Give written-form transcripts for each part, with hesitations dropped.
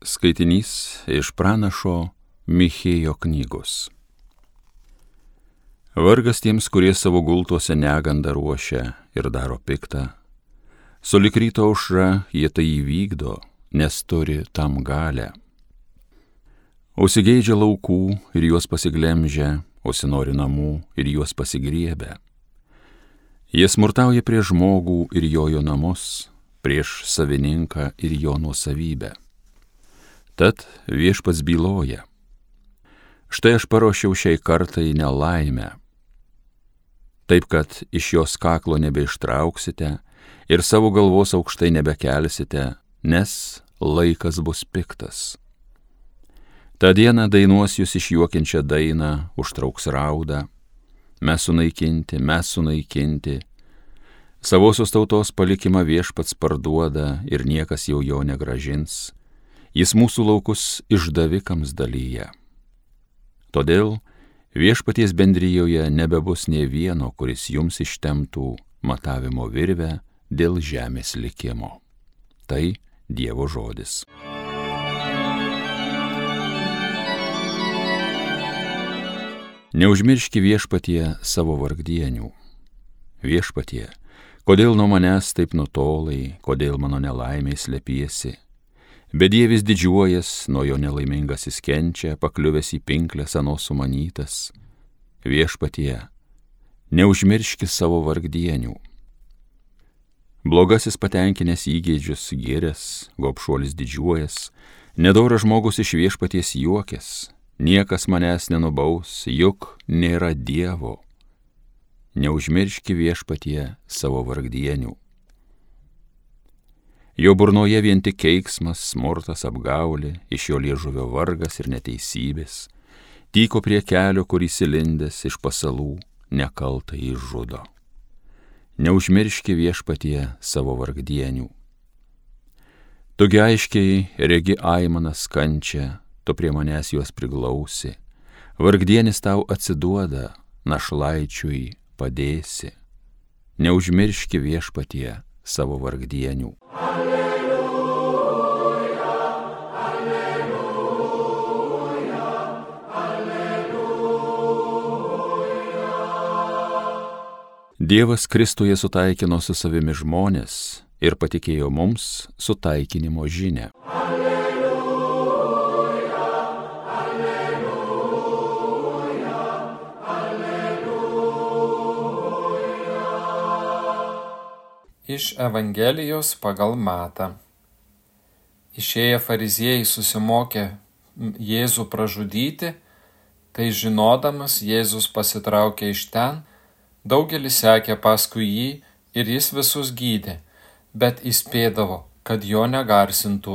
Skaitinys iš pranašo Michėjo knygos. Vargas tiems, kurie savo gultuose negandą ruošia ir daro piktą. Sulig ryto aušra jie tai įvykdo, nes turi tam galę. Užsigeidžia laukų ir juos pasiglemžia, užsinori namų ir juos pasigriebia. Jie smurtauja prieš žmogų ir jo namus, prieš savininką ir jo nuosavybę. Tad Viešpats byloja: štai aš paruošiau šiai kartai nelaimę, taip kad iš jos kaklo nebeištrauksite ir savo galvos aukštai nebekelsite, nes laikas bus piktas. Ta diena dainuos jūs išjuokiančią dainą, užtrauks raudą: mes sunaikinti, savosios tautos palikimą Viešpats parduoda ir niekas jau jo negrąžins. Jis mūsų laukus išdavikams dalyja. Todėl Viešpaties bendrijoje nebebus nė vieno, kuris jums ištemptų matavimo virvę dėl žemės likimo. Tai Dievo žodis. Neužmirški Viešpatie savo vargdienių. Viešpatie, kodėl nuo manęs taip nutolai, kodėl mano nelaimiai slepiesi? Bedievis didžiuojas, nuo jo nelaimingasis kenčia, pakliuvęs į pinkles anos sumanytas. Viešpatie, neužmirški savo vargdienių. Blogasis patenkinęs įgeidžius gėręs, gobšuolis didžiuojas, nedoras žmogus iš Viešpaties juokės, niekas manęs nenubaus, juk nėra Dievo. Neužmirški Viešpatie savo vargdienių. Jo burnoje vien tik keiksmas, smurtas, apgaulė, iš jo liežuvio vargas ir neteisybės, tyko prie kelio, kur įsilindęs iš pasalų nekaltai išžudo. Neužmirški Viešpatie savo vargdienių. Tugi aiškiai regi aimanas kančią, tu prie manęs juos priglausi, vargdienis tau atsiduoda, našlaičiui padėsi. Neužmirški Viešpatie savo vargdienių. Dievas Kristuje sutaikino su savimi žmonės ir patikėjo mums sutaikinimo žinią. Alleluja, alleluja, alleluja. Iš Evangelijos pagal Matą. Išėję fariziejai susimokė Jėzų pražudyti, tai žinodamas Jėzus pasitraukė iš ten. Daugelis sekė paskui jį ir jis visus gydė, bet įspėdavo, kad jo negarsintų.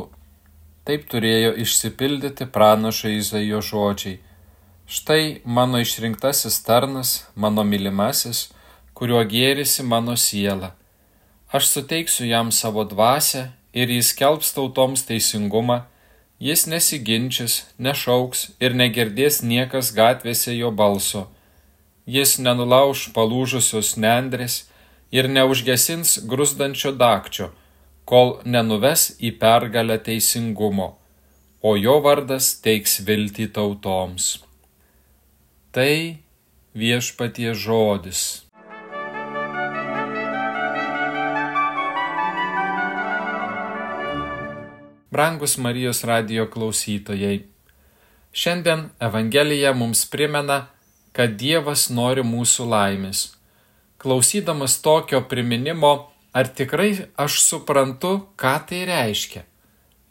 Taip turėjo išsipildyti pranašo Izaijo žodžiai: štai mano išrinktasis tarnas, mano mylimasis, kuriuo gėrisi mano siela. Aš suteiksiu jam savo dvasią ir jis skelbs tautoms teisingumą, jis nesiginčys, nešauks ir negirdės niekas gatvėse jo balso. Jis nenulauš palūžusios nendrės ir neužgesins gruzdančio dagčio, kol nenuves į pergalę teisingumo, o jo vardas teiks viltį tautoms. Tai Viešpaties žodis. Brangus Marijos radijo klausytojai, šiandien Evangelija mums primena, kad Dievas nori mūsų laimės. Klausydamas tokio priminimo, ar tikrai aš suprantu, ką tai reiškia?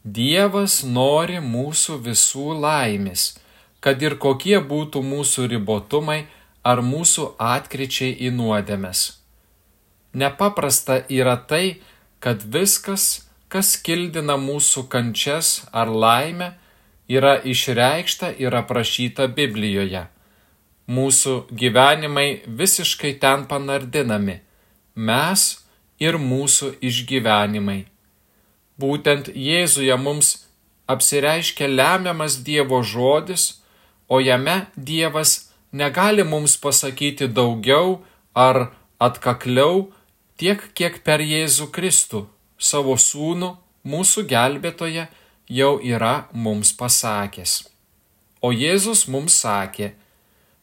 Dievas nori mūsų visų laimės, kad ir kokie būtų mūsų ribotumai ar mūsų atkryčiai į nuodėmes. Nepaprasta yra tai, kad viskas, kas kildina mūsų kančias ar laimę, yra išreikšta ir aprašyta Biblijoje. Mūsų gyvenimai visiškai ten panardinami, mes ir mūsų išgyvenimai. Būtent Jėzuje mums apsireiškia lemiamas Dievo žodis, o jame Dievas negali mums pasakyti daugiau ar atkakliau tiek, kiek per Jėzų Kristų, savo sūnų, mūsų gelbėtoją, jau yra mums pasakęs. O Jėzus mums sakė,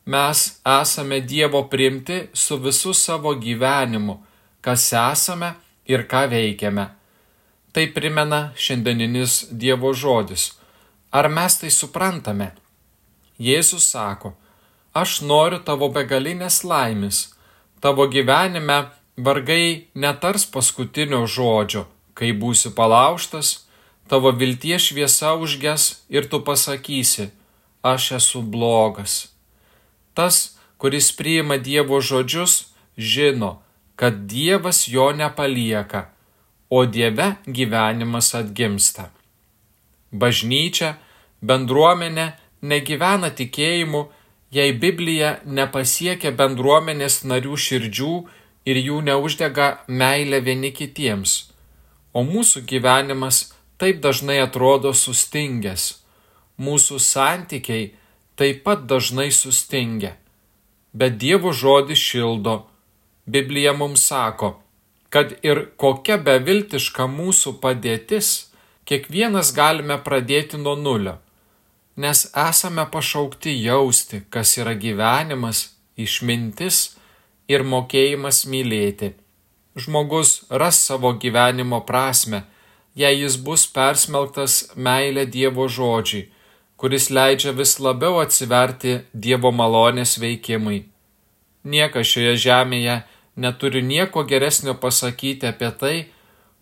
mes esame Dievo priimti su visu savo gyvenimu, kas esame ir ką veikiame. Tai primena šiandieninis Dievo žodis. Ar mes tai suprantame? Jėzus sako, aš noriu tavo begalinės laimės. Tavo gyvenime vargai netars paskutinio žodžio, kai būsi palaužtas, tavo vilties šviesa užges ir tu pasakysi, aš esu blogas. Tas, kuris priima Dievo žodžius, žino, kad Dievas jo nepalieka, o Dieve gyvenimas atgimsta. Bažnyčia, bendruomenė negyvena tikėjimu, jei Biblija nepasiekia bendruomenės narių širdžių ir jų neuždega meilė vieni kitiems. O mūsų gyvenimas taip dažnai atrodo sustingęs. Mūsų santykiai taip pat dažnai sustingę. Bet Dievo žodis šildo. Biblija mums sako, kad ir kokia beviltiška mūsų padėtis, kiekvienas galime pradėti nuo nulio, nes esame pašaukti jausti, kas yra gyvenimas, išmintis ir mokėjimas mylėti. Žmogus ras savo gyvenimo prasmę, jei jis bus persmelktas meilė Dievo žodžiai, kuris leidžia vis labiau atsiverti Dievo malonės veikimui. Niekas šioje žemėje neturi nieko geresnio pasakyti apie tai,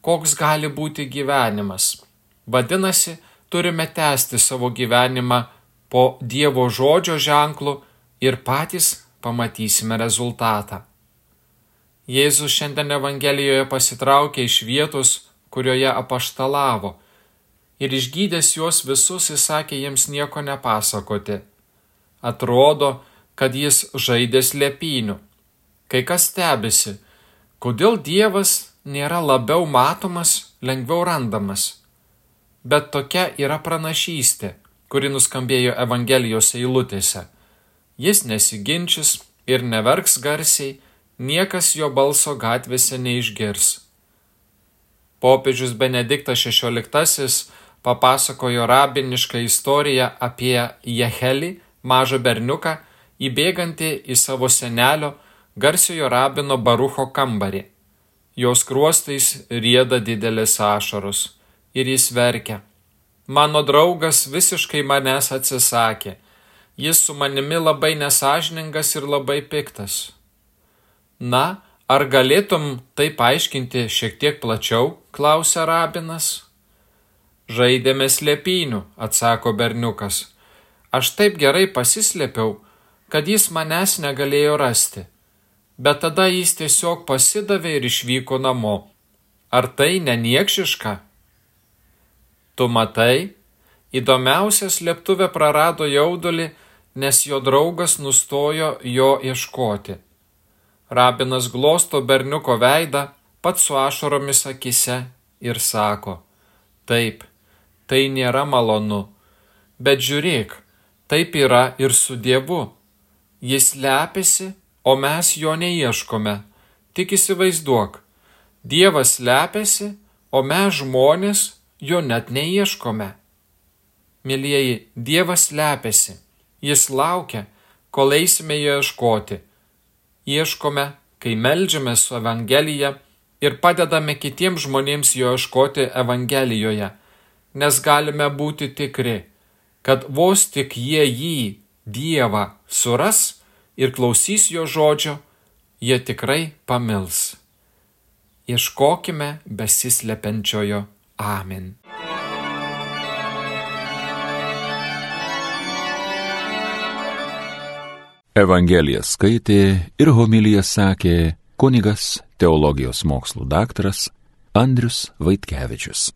koks gali būti gyvenimas. Vadinasi, turime tęsti savo gyvenimą po Dievo žodžio ženklu ir patys pamatysime rezultatą. Jėzus šiandien Evangelijoje pasitraukė iš vietos, kurioje apaštalavo, ir išgydęs juos visus įsakė jiems nieko nepasakoti. Atrodo, kad jis žaidė slėpynių. Kai kas stebisi, kodėl Dievas nėra labiau matomas, lengviau randamas. Bet tokia yra pranašystė, kuri nuskambėjo Evangelijos eilutėse. Jis nesiginčys ir neverks garsiai, niekas jo balso gatvėse neišgirs. Popiežius Benediktas XVI papasakojo rabinišką istoriją apie Jehelį, mažą berniuką, įbėgantį į savo senelio, garsiojo rabino Barucho kambarį. Jos skruostais rieda didelės ašaros ir jis verkia. Mano draugas visiškai manęs atsisakė. Jis su manimi labai nesąžiningas ir labai piktas. Na, ar galėtum tai paaiškinti šiek tiek plačiau, klausia rabinas. Žaidėme slėpynių, atsako berniukas. Aš taip gerai pasislėpiau, kad jis manęs negalėjo rasti. Bet tada jis tiesiog pasidavė ir išvyko namo. Ar tai neniekšiška? Tu matai, įdomiausia slėptuvė prarado jaudulį, nes jo draugas nustojo jo ieškoti. Rabinas glosto berniuko veidą, pats su ašaromis akise ir sako, taip, tai nėra malonu, bet žiūrėk, taip yra ir su Dievu. Jis slepiasi, o mes jo neieškome. Tik įsivaizduok, Dievas slepiasi, o mes žmonės jo net neieškome. Mielieji, Dievas slepiasi. Jis laukia, kol eisime jo ieškoti. Ieškome, kai meldžiame su Evangelija ir padedame kitiems žmonėms jo ieškoti Evangelijoje, nes galime būti tikri, kad vos tik jie jį, Dievą, suras ir klausys jo žodžio, jie tikrai pamils. Ieškokime besislepiančiojo. Amen. Evangeliją skaitė ir homiliją sakė kunigas, teologijos mokslų daktaras Andrius Vaitkevičius.